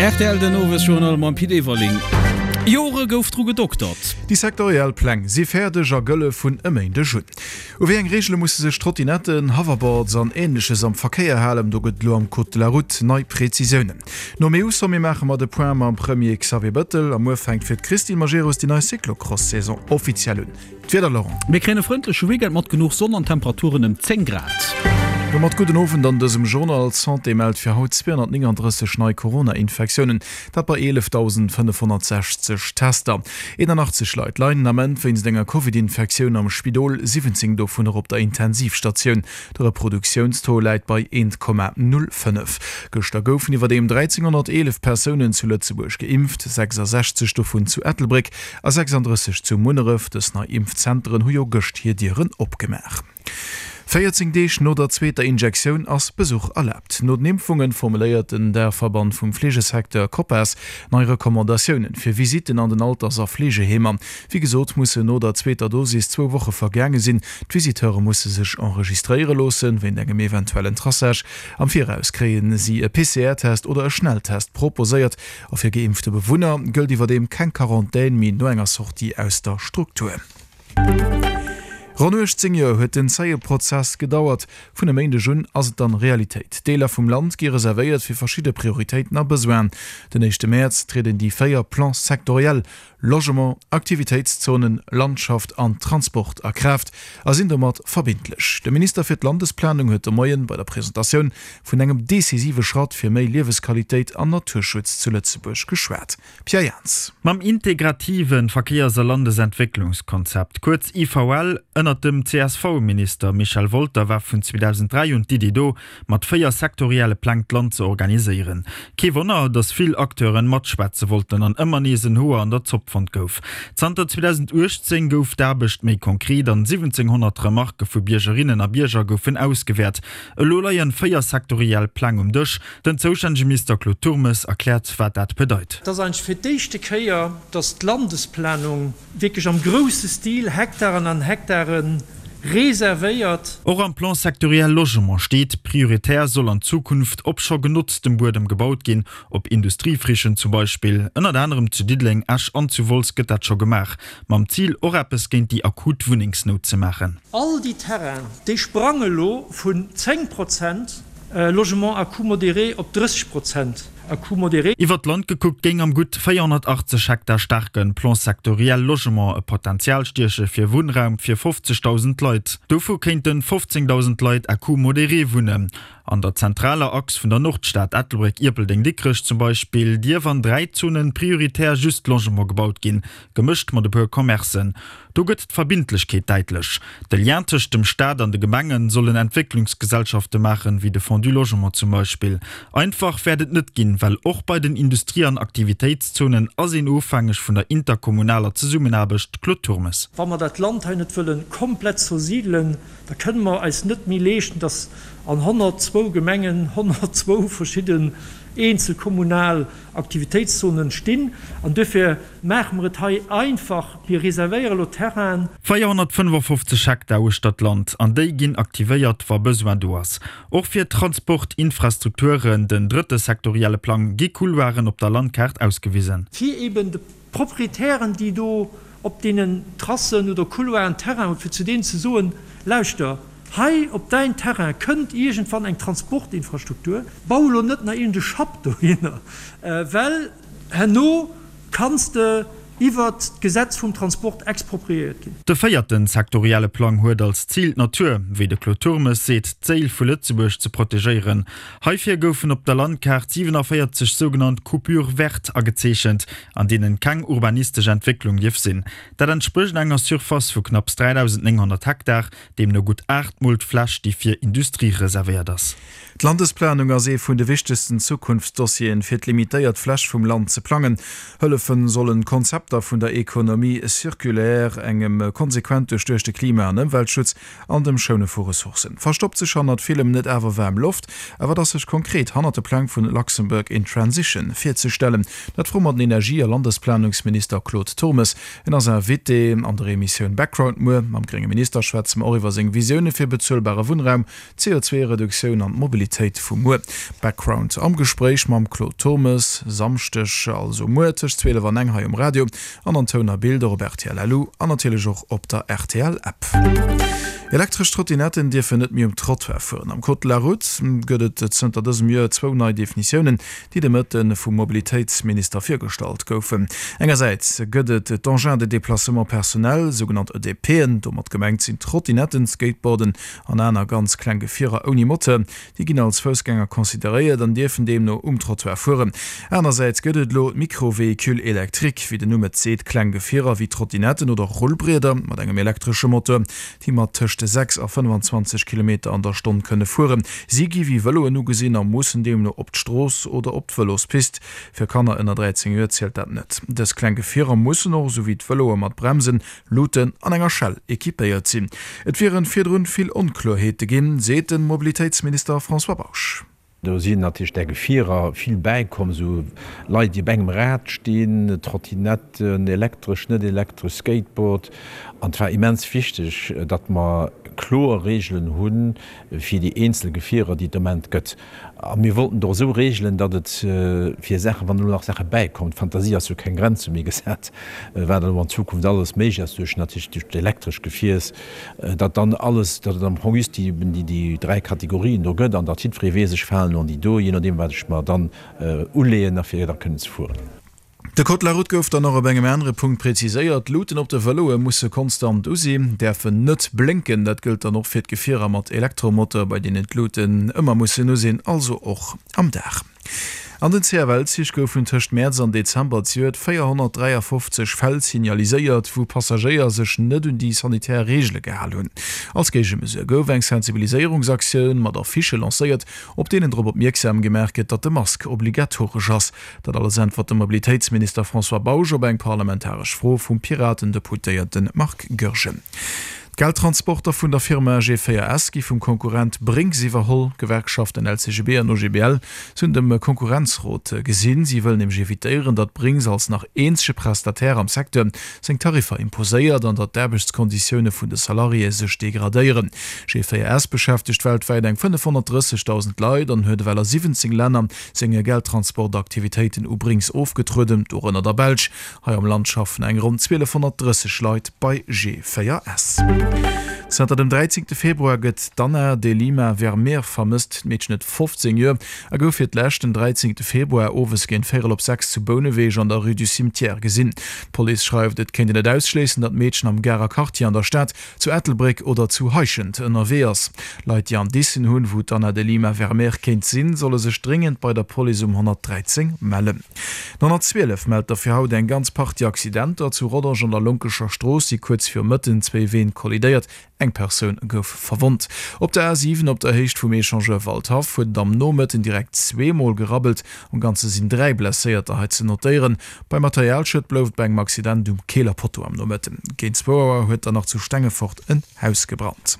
Rtl den Owesjournal mam Pit Everling. Jore gouf dru gedoktert. Déi sektoriell Pläng si fäerdeg a gëlle vun e Méindeg un. U wéi eng Reegele musse sech Trottinetten, Hoverboards an Änleches am Verkéier halen? Do gëtt et elo am Code de la Route nei Prezisiounen. Nom EU-Sommet maache mer de Point mam Premier Xavier Bëttel. A muer fänkt fir d'Christine Majerus déi nei Cyclocross-Saison offiziell un. D'Wieder, Laurent. Mir kréien e frëndleche Weekend mat genuch Sonn an Temperaturen ëm 10 Grad. Domat gudden Owend an dësem Journal. D'Santé mellt fir haut 239 nei Corona-Infektiounen, dat bei 11.560 Tester. 81 Leit leien den Ament wéinst enger Covid-Infektioun am Spidol, 17 dovunner op der Intensivstatioun. De Reproduktiounstaux läit bei 1,05. Gëschter goufen iwwerdeem 1.311 Persounen zu Lëtzebuerg geimpft, 66 dovun zu Ettelbréck. A 36 zu Munneref. Dës nei Impfzenteren hu jo gëscht hir Dieren opgemaach. 14 Deeg no der zweeter Injektioun ass Besuch erlaabt. No den Impfungen formuléiert den Daachverband vum Fleegesecteur Copas nei Recommandatiounen fir Visitten an den Alters a Fleegeheemer. Wéi gesot mussen no der zweeter Dosis zwou Woche vergaange sinn. D'Visiteure musse sech enregistréiere loossen. Wéint engem eventuellen Traçage am Viraus kréie si e PCR-Test oder e Schnelltest proposéiert. A fir geimpfte Bewunner gëllt iwwerdeem keng Quarantän méi no enger Sortie aus der Struktur. Ronn 18 Joer huet den zéie Prozess gedauert. Vun e Méindeg un ass et dann Realitéit. Deeler vum Land gi reservéiert fir verschidde Prioritéiten a Besoinen. Den éischte Mäerz trieden déi 4 Plans sectoriels Logement, Aktivitéitszonen, Landschaft an Transport a Kraaft a sinn domat verbindlech. De Minister fir d'Landesplanung huet de Moien bei der Presentatioun vun engem decisive Schratt fir méi Liewesqualitéit an Naturschutz zu Lëtzebuerg geschwat. Pierre Jans. Mam integrative Verkéiers a Landesentwécklungskonzept, kuerz IVL, ënnert dem CSV-Minister Michel Wolter war vun 2003 un d'Iddi do, mat 4 sektorielle Pläng d'Land ze organiséieren. Kee Wonner, datt vill Acteuren matschwätze wollten an ëmmer nees en Hoer an der Zopp fonnt gouf. Zanter 2018 gouf d'Aarbecht méi konkret an 1700 Remarke vu Biergerinnen a Bierger goufen ausgewäert. Elo leien 4 sektoriell Pläng um Dësch. Den zoustännege Minister Claude Turmes erkläert, wat dat bedeit. Et ass eigentlech fir d'éischte Kéier, datt d'Landesplanung Wierklech am grousse Stil, Hektaren an Hektare reservéiert. Och am Plan sectoriel Logement steet, prioritär soll an Zukunft op scho genotztem Buedem gebaut ginn, op Industriefrichen zum Beispill. Ënnert anerem zu Diddeleng, Esch an zu Wolz gëtt dat scho gemaach, mam Zil och eppes géint déi akut Wunnengsnout ze maachen. All déi Terrainen, déi sprange lo vun 10 Prozent Logement à coût modéré op 30 Prozent. À coût modéré. Iwwer d'Land gekuckt géing am gutt 480 Hektar staarke Plan sectoriel Logement e Potenzial stieche fir Wunnraum fir 50.000 Leit. Dovu kéinte 15.000 Leit à coût modéré wunnen. An der zentraler Achs vun der Nordstad, Ettelbréck, Ierpeldeng, Dikrech zum Beispill, dierf an 3 Zonen prioritär just Logement gebaut ginn, gemëscht mat e puer Commercen. Do gëtt d'Verbindlechkeet däitlech. De Lien tëscht dem Staat an de Gemengen sollen Entwécklungsgesellschafte maachen, wéi de Fonds du Logement zum Beispill. Einfach wäert et net ginn, well och bei den Industrie an Aktivitéitszonen ass een ofhängeg vun der interkommunaler Zesummenaarbecht, Claude Turmes. Wa mer dat Land hei net wëlle komplett zersidelen, da kënne mer eis net méi leeschten, dass an 102 Gemengen 102 verschidden eenzel kommunal Aktivitéitszonen stinn. An duerfir maache mer et hei einfach, Mir reservéiere elo Terrainen. 455 Hektar uechter d'Land, an déi ginn aktivéiert, wa Besoin do ass. Och fir d'Transportinfrastrukturen, den drëtte sektorielle Plang, gi Couloiren op der Landkaart ausgewisen. Fir eben de Proprietären, déi do op deenen Tracen oder Couloiren Terrain hunn, fir zu deenen ze soen, Lauschter, hei op däin Terrain kënnt iergendwann eng Transportinfrastruktur, bau elo net nach iergend e Schapp dohinner, well herno kanns de iwwert d'Gesetz vum Transport expropriéiert ginn. De véierte sektorielle Plang huet als Zil d'Natur, wéi de Claude Turmes seet, d'Séil vu Lëtzebuerg ze protegéieren. Heifir goufen op der Landkaart 47 sougenannt Coupures vertes agezeechent, an deenen keng urbanistesch Entwécklung dierf sinn. Dat entsprécht enger Surface vu knapps 3.900 Hektar, deemno gutt aachtmol d'Fläch, déi fir Industrie reservéiert ass. D'Landesplanung ass ee vun de wichtegsten Zukunftsdossieren, fir d'limitéiert Fläch vum Land ze plangen. Hëllefen sollen Konzepter. Konzepter vun der Économie circulaire, engem konsequent duerchduechte Klima an Ëmweltschutz an dem Schoune vu Ressourcen. Verstoppt sech hannert villem net awer waarm Loft? A wat ass sech konkret hannert de Pläng vun Luxembourg in Transition virzestellen? Dat froe mer den Energie a Landesplanungsminister Claude Turmes. En ass Invité an der Emissioun Background muer. Mam grénge Minister schwätze mer och iwwer seng Visioune fir bezuelbare Wunnraum, d'CO2-Reduktioun an d'Mobilitéit vu muer. Background am Gespréich mam Claude Turmes, Samschdeg, also muer, tëscht 12 an eng hei um Radio an an Toun a Bild och op rtl.lu an natierlech och op der RTL-App. Elektresch Trottinetten dierfen net méi um Trottoir fueren. Am Code de la Route gëtt et zënter dësem Joer zwou nei Definitiounen, déi de Mëtte vum Mobilitéitsminister virgestallt goufen. Engersäits gëtt et d'Engins de déplacement personnel, sougenannt EDPen. Domat gemengt sinn Trottinetten, Skateboarden an aner ganz kleng Gefierer ouni Moteur, déi ginn als Foussgänger consideréiert an dierfen deemno um Trottoir fueren. Anersäits gëtt et elo d'Micro-véhicules électriques, wéi den Numm et seet, kleng Gefierer wéi Trottinetten oder Rullbrieder mat engem elektresche Moteur, déi mat tëscht 6 a 25 Kilometer an der Stonn kënne fueren. Si gi wéi Vëloen ugesinn a mussen deemno op d'Strooss oder op d'Vëlospist. Fir Kanner ënner 13 Joer zielt dat net. Dës kleng Gefierer mussen och, esou wéi d'Vëloe mat Bremsen, Luuten an enger Schell equipéiert sinn. Et wieren virdrun vill Onkloerheete ginn, seet den Mobilitéitsminister François Bausch. Do sinn natierlech där Gefierer vill bäikomm, esou Leit, déi op engem Rad stinn, Trottinetten, elektresch, net elektresch, Skateboard. An et war immens wichteg, datt mer kloer Reegelen hu fir déi eenzel Gefierer, déi et de Moment gëtt. A mir wollten et och esou reegelen, datt et fir Saachen, wann elo nach Saache bäikommen, d'Fantasie ass jo keng Grenze méi gesat, wat elo an Zukunft alles méiglech ass duerch natierlech duerch d'elektresch Gefiers, datt dann alles, datt et am Fong just déi eben déi déi 3 Kategorien do gëtt an datt jiddweree weess, ech falen elo an déi do, jee nodeem wat ech mer dann uleeën a fir da kënnen ze fueren. De Code de la route gouf dann och op engem anere Punkt präziséiert, D'Luuten op de Vëloe musse konstant u sinn, däerfen net blénken. Dat gëllt dann och fir d'Gefierer mat Elektromotor, bei deenen d'Luuten ëmmer mussen u sinn, also och am Dag. An den CFL-Zich goufen tëscht Mäerz an Dezember zejoert 453 Fäll signaliséiert, wou Passagéier sech net un déi sanitär Reegele gehal hunn. Als Géigemesure gouf eng Sensibiliséierungsaktioun mat Affichë lancéiert, op deenen drop opmierksam gemaach gëtt, datt de Mask obligatoresch ass. Dat alles äntwert de Mobilitéitsminister François Bausch op eng parlamentaresch Fro vum Piraten-Deputéierte Marc Goergen. D'Geldtransporter vun der Firma G4S gi vum Konkurrent Brink's iwwerholl. D'Gewerkschaften LCGB an OGBL sinn dem Konkurrenzrot gesinn. Si wëllen nämlech evitéieren, datt Brink's als nach eenzege Prestataire am Secteur seng Tariffer imposéiert an datt d'Aarbechtskonditioune vun de Salariéë sech degradéieren. G4S beschäftegt weltwäit eng 530.000 Leit an huet ewell a 17 Länner seng Geldtransportaktivitéiten u Brink's ofgetrueden, dorënner der Belsch. Hei am Land schaffen eng ronn 1.230 Leit bei G4S. Zanter dem 13 Februar gëtt d'Anna De Lima Vermeer vermësst. D'Meedchen huet 15 Joer a gouf fir d'lescht den 13 Februar owes géint véierel op 6 zu Bouneweg an der Rue du Cimetière gesinn. D'Police schreift, et kéint een net ausschléissen, datt d'Meedchen am Garer Quartier an der Stad zu Ettelbréck oder zu Heischent ënnerwee ass. Leit, déi Indicen hunn, wou d'Anna de Lima Vermeer kéint sinn, solle sech dréngend bei der Police um 113 mellen. Den 112 mellt der fir haut eng ganz Partie Accidenter. Zu Rodange an der Lonkescher Strooss si kuerz viru Mëtten zwéi Ween kollidéiert. Eng Persoun gouf verwonnt. Op der A7 op der Héicht vum Echangeur Waldhaff huet et am Nomëtten direkt zweemol gerabbelt. Am Ganze sinn 3 Blesséierter hei ze notéieren. Bei Materialschued blouf et bei engem Accident um Keeler Potto am Nomëtten. Géint zwou Auer huet dann nach zu Stengefort en Haus gebrannt.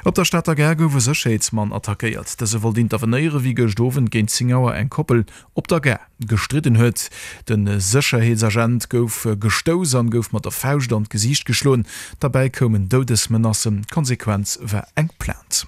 Op der Stater Gare gouf e Sécherheetsmann attackéiert. Dëse wollt intervenéiere wéi gëscht Owend géint 10 Auer eng Koppel op der Gare gestridden huet. De Sécherheetsagent gouf gestouss an gouf mat der Fauscht an d'Gesiicht geschloen. Derbäi koumen Doudesmenacen. D'Konsequenz war eng Plainte.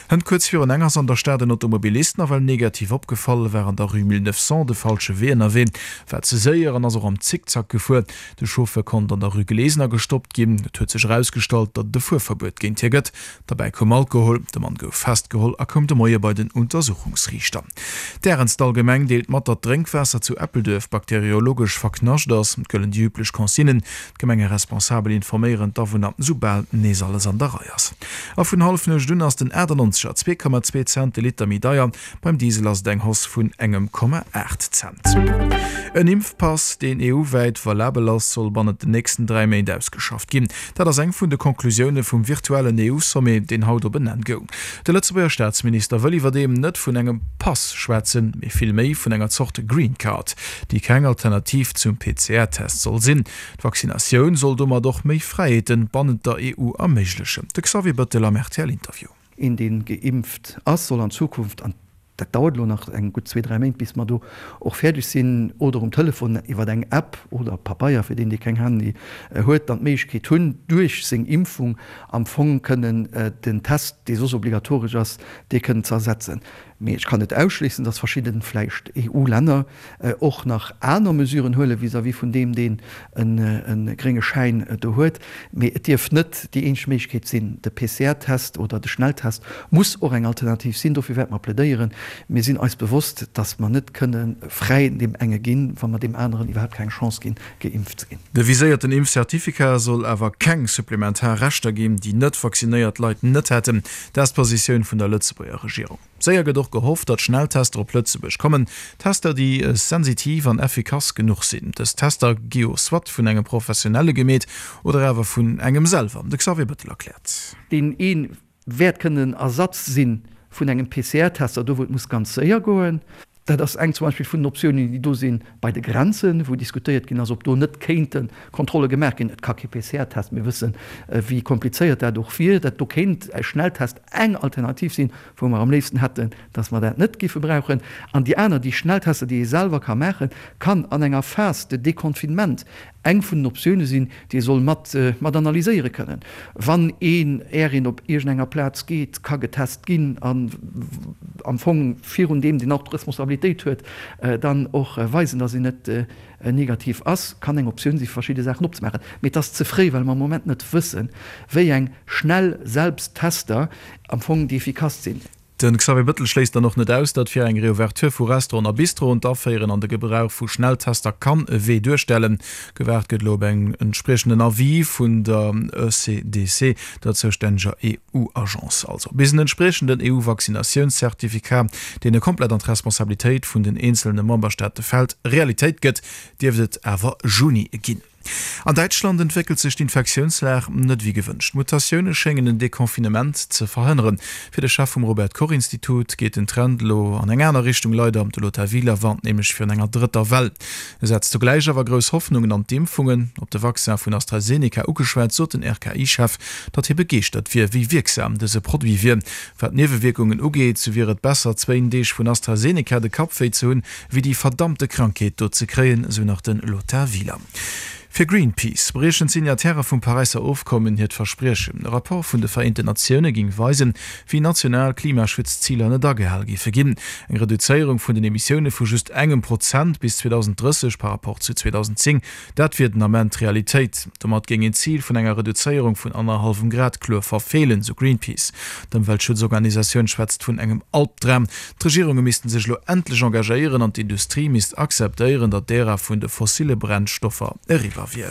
Hënt kuerz virun eng ass an der Stad en Automobilist nawell negativ opgefall, war an der Rue 1900 de falsche Wee ënnerwee, war ze séier an ass och am Zickzack gefuer. De Chauffeur konnt an der Rue Glesener gestoppt ginn. Et huet sech erausgestallt, datt et e Fuerverbuet géint hie gëtt. Derbäi koum Alkohol. De Mann gouf festgeholl a koum de Moie bei den Untersuchungsriichter. D'Ärenzdallgemeng deelt mat, datt d'Drénkwaasser zu Eppelduerf bakteriologesch verknascht ass. Et gëllen déi üblech Consignen. D'Gemengeresponsabel informéieren d'Awunner, soubal nees alles an der Rei. der Rei ass. A vun Hallefnuecht un ass den 98er 2,2 Cent de Liter méi deier, beim Diesel ass et eng Hausse vun engem Komma 8 Cent. En Impfpass, deen EU-wäit valabel ass, soll bannent den nächsten 3 Méint ausgeschafft ginn. Dat ass eng vun de Conclusioune vum virtuellen EU-Sommet, deen haut op en Enn goung. De Lëtzebuerger Staatsminister wëll iwwerdeem net vun engem Pass schwätzen, mee vill méi vun enger Zort Green Card, déi keng Alternativ zum PCR-Test soll sinn. D'Vaccinatioun soll domat och méi Fräiheete bannent der EU erméiglechen. De Xavier Bëttel am RTL-Interview. Een, dee geimpft ass, soll an Zukunft, an dat dauert elo nach eng gutt zwee, dräi Méint, bis mer do och fäerdeg sinn, oder um Telefon iwwer eng App oder Pabeier, fir deen, dee keng Handy huet, dann d'Méiglechkeet hunn, duerch seng Impfung am Fong kënnen den Test, dee soss obligatoresch ass, dee kënnen ze ersetzen. Mee ech kann net ausschléissen, dass verschidde vläicht EU-Länner och nach aner Mesuren huele vis-à-vis vun deem, deen e grénge Schäin do huet. Mee et dierf net déi eenzeg Méiglechkeet sinn. De PCR-Test oder de Schnelltest muss och eng Alternativ sinn. Dofir wäerte mer plädéieren. Mir sinn eis bewosst, dass mer net kënne fräi deem enge ginn, wa mer deem aneren iwwerhaapt keng Chance ginn, geimpft ze ginn. De viséierten Impfcertificat soll awer keng supplementar Rechter ginn, déi net vaccinéiert Leit net hätten. Dat ass d'Positioun vun der Lëtzebuerger Regierung. Séier gëtt och gehofft, datt Schnelltester op Lëtzebuerg kommen. Tester, déi sensitiv an effikass genuch sinn. Dës Tester gi jo soit vun engem Professionelle gemeet oder awer vun engem selwer. De Xavier Bettel erkläert. Deen ee wäert kënnen Ersatz si vun engem PCR-Tester, do wou et muss ganz séier goen. Dat ass eng zum Beispill vun den Optiounen, déi do sinn bei de Grenzen, wou diskutéiert ginn ass, ob do net kéinte Kontrolle gemaach ginn. Et ka kee PCR-Test, mir wëssen, wéi komplizéiert dat och wier. Dat do kéint e Schnelltest eng Alternativ sinn, wou mer am léifsten hätten, dass mer dat net géife brauchen. An déi aner, déi Schnelltester, déi ee selwer ka maachen, kann an enger Phase de déconfinement eng vun den Optioune sinn, déi ee soll mat mat analyséiere kënnen. Wann een, är een op iergendenger Plaz geet, ka getest ginn an am Fong virun deem, deen och d'Responsabilitéit huet, dann och weisen, datt een net negativ ass, kann eng Optioun si fir verschidde Saachen opzemaachen. Mee et ass ze fréi, well mer am Moment net wëssen, wéi eng schnell Selbsttester am Fong déi effikasst sinn. De Xavier Bëttel schléisst dann och net aus, datt fir eng Reouverture vu Restauranten a Bistroen d'Aféieren an de Gebrauch vu Schnelltester kann e Wee duerstellen. Gewaart gëtt elo op en entspriechenden Avis vun der ECDC, der zoustänneger EU-Agence. Also bis en entspriechenden EU-Vaccinatiounscertificat, deen e komplett an d'Responsabilitéit vun den eenzelne Memberstaate fält, Realitéit gëtt, dierft et awer Juni ginn. An Däitschland entwéckelt sech d'Infektiounslag net wéi gewënscht. D'Mutatioune schéngen en Deconfinement ze verhënneren. Fir de Chef vum Robert Koch Institut geet den Trend elo an eng aner Richtung. Leider, de Lothar Wieler warnt nämlech virun enger drëtter Well. E setzt zugläich awer grouss Hoffnungen an d'Impfungen. Op de Vaccin vun AstraZeneca ugeschwat, sot den RKI-Chef, datt hie begeeschtert wier, wéi wierksam dëse Produit wier. Wat d'Niewewierkungen ugeet, sou wier et besser, zwéin Deeg vun AstraZeneca de Kapp wéi ze hunn, wéi déi verdammte Krankheet do ze kréien, sou nach de Lothar Wieler. Fir Greenpeace briechen d'Signataire vum Paräisser Ofkommen hiert Verspriechen. E Rapport vun de Vereenten Natioune géing weisen, wéi national Klimaschutzziler net agehal géife ginn. Eng Reduzéierung vun den Emissioune vu just engem Prozent bis 2030 par Rapport zu 2010 Dat wier den Ament d'Realitéit. Domat géing een d'Zil vun enger Reduzéierung vun annerhallwem Grad kloer verfeelen, sou Greenpeace. D'Ëmweltschutzorganisatioun schwätzt vun engem Albdram. D'Regierunge missten sech elo endlech engagéieren an d'Industrie misst akzeptéieren, datt d'Ära vun de fossille Brennstoffer eriwwer wier.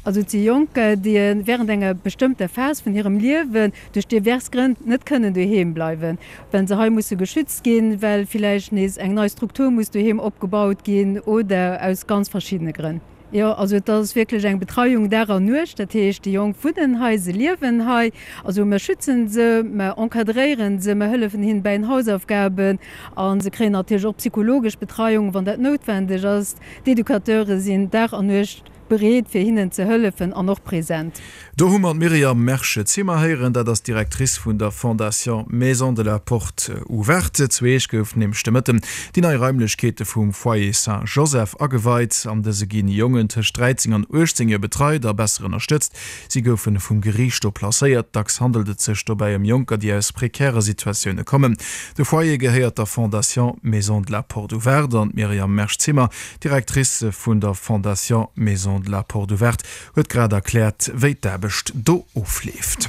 Also et si Jonker, déi während enger bestëmmter Phas vun hirem Liewen duerch divers Grënn net kënnen doheem bleiwen, well se hei musse geschützt ginn, well villäicht nees eng nei Struktur muss doheem opgebaut ginn oder aus ganz verschiddene Grënn. Jo, also et ass wierklech eng Betreiung Dag an Nuecht. Dat heescht, déi Jonk wunnen hei, se liewen hei. Also mer schützen se, mer encadréieren se, mer hëllefen hinnen bäi den Hausaufgaben a se kréien natierlech och psychologesch Betreiung, wann dat noutwendeg ass. D'Educateure sinn Dag an Nuecht Bereet fir hinnen ze hëllefen an och present. Do hu mer d'Myriam Mersch-Zimmer héieren, dat ass d'Directrice vun der Fondation Maison de la Porte Ouverte. Zu Eech goufen nämlech de Mëtten déi nei Raimlechkeete vum Foyer Saint-Joseph ageweit. An dëse ginn Jongen tëscht 13 an 18 Joer betreit a besser ënnerstëtzt. Si goufe vum Geriicht do placéiert. Dacks handelt et sech dobäi ëm Jonker, déi aus prekäre Situatioune kommen. De Foyer gehéiert der Fondation Maison de la Porte Ouverte an d'Myriam Mersch-Zimmer D'Directrice vun der Fondation Maison de la Porte Ouverte huet grad erkläert, wéi d'Aarbecht do ofleeft.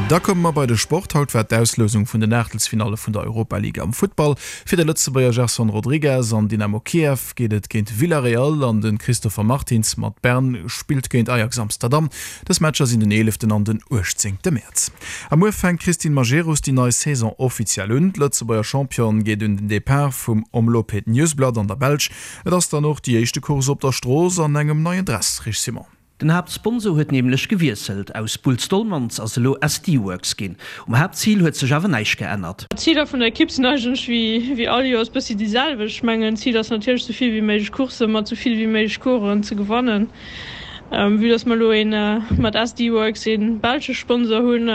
Da komme mer bei de Sport. Haut war d'Auslousung vun den Aachtelsfinalle vun der Europa League am Futtball. Fir de Lëtzebuerger Gerson Rodrigues an Dynamo Kiew geet et géint Villarreal an de Christopher Martins mat Bern spillt géint Ajax Amsterdam. Dës Matcher sinn den eeleften an den uechtzéngte Mäerz. A muer fänkt d'Christine Majerus déi nei Saison offiziell un. D'Lëtzebuerger Championne geet un den Depart vum Omloop Het Nieuwsblad an der Belsch. Et ass dann och déi éischte Course op der Strooss an engem neien Dress, Rich Simon. Den Haaptsponsor huet nämlech gewiesselt, aus Boels Dolmans ass elo SD Worx ginn. Um Haaptzil huet sech awer näischt geännert. D'Ziler vun der Ekipp sinn eigentlech wéi all Joers bëssi déi selwecht. Ech mengen d'Zil ass natierlech sou vill wéi méiglech Coursse mat sou vill wéi méiglech Coureuren ze gewannen. Vue dass mer elo een mat SD Worx een belsche Sponsor hunn,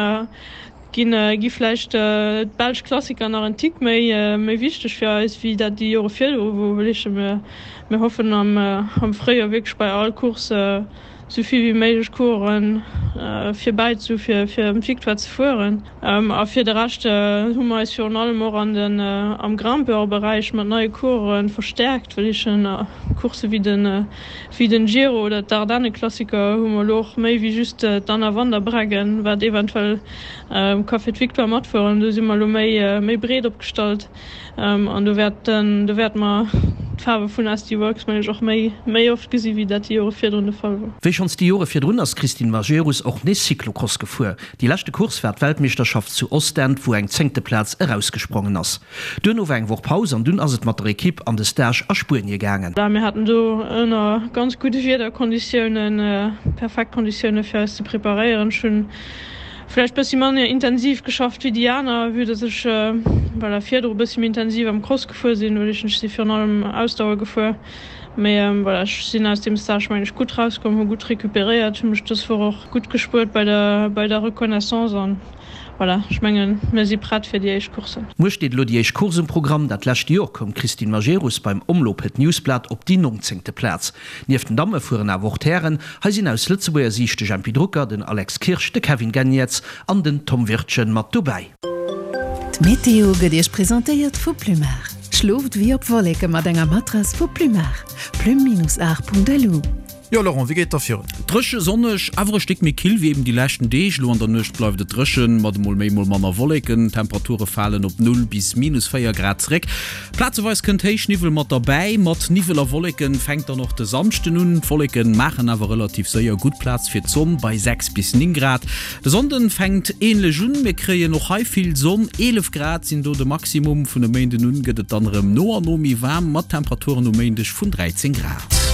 ginn gi vläicht d'belsch Klassiker nach en Tick méi méi wichteg fir eis wéi dat déi Jore virdru wor. Well ech mir mir hoffen am am Fréijoer wierklech bei all Course sou vill wéi méiglech Coureuren virbäi ze hu fir fir ëm d'Victoire ze fueren. A fir de Rescht hu mer eis virun allem och an den am Grimpeur-Beräich mat neie Coureuren verstäerkt, well ech Coursse wéi den Wéi den Giro oder d'Ardenne-Klassiker hu mer elo och méi wéi just d'Anna van der Breggen, wat eventuell ka fir d'Victoire matfueren. Do si mer elo méi méi breet opgestallt an do wäerten do wäerte mer d'Faarwe vun SD Worx meng ech och méi méi oft gesi wéi dat déi Jore virdrun de Fall wor. Wéi schonns déi Jore virdrun ass d'Christine Majerus och nees Cyclocross gefuer. Déi leschte Course war d'Weltmeeschterschaft zu Ostend, wou eng zéngte Plaz erausgesprongen ass. Duerno war eng Woch Paus an dunn ass et mat der Ekipp an de Stage a Spuenie gaangen. Mir haten do ënner ganz gudde Wiederkonditiounen perfekt Konditioune fir eis ze preparéieren. Ech hunn vläicht bëssi manner intensiv geschafft wéi déi aner, vue dass ech voilà virdru bëssi méi intensiv am Cross gefuer sinn, well ech si virun allem Ausdauer gefuer. Mee voilà, ech sinn aus deem Stage mengen ech gutt rauskomm, hu gutt recuperéiert, hu mech dës Woch och gutt gespuert bei der bei der Reconnaissance an Voilà, ech mengen, mir si prett fir déi éischt Courssen. Muer steet elo déi éischt Course um Programm. Dat lescht Joer koum d'Christine Majerus beim Omloop Het Nieuwsblad op déi nongzéngte Plaz. Nieft den Damme fueren awer och d'Hären. Hei sinn aus Lëtzebuerger Siicht de Jempy Drucker, den Alex Kirsch, de Kevin Geniets an den Tom Wirtgen mat dobäi. D'Meteo gëtt Iech presentéiert vu Plumar. Schlooft wéi op Wolleke mat enger Matrass vu Plumar. Plume-art.lu. Jo Laurent, wéi geet da virun? Dréche, sonneg, awer e Stéck méi kill wéi eben déi leschten Deeg. Elo an der Nuecht bleift et dréchen, mat emol méi emol manner Wolleken. D'Temperature falen op 0 bis minus 4 Grad zeréck. Plazeweis kënnt Héichniwwel mat derbäi. Mat Niwwel a Wolleken fänkt dann och de Samschden un. D'Wolleken maachen awer relativ séier gutt Plaz fir d'Sonn bei 6 bis 9 Grad. De Sonnden fänkt änlech un, mir kréien och hei vill Sonn, 11 Grad sinn do de Maximum. Vun e Méinden un gëtt et dann erëm no an no méi waarm, mat Temperaturen um Méindeg vun 13 Grad.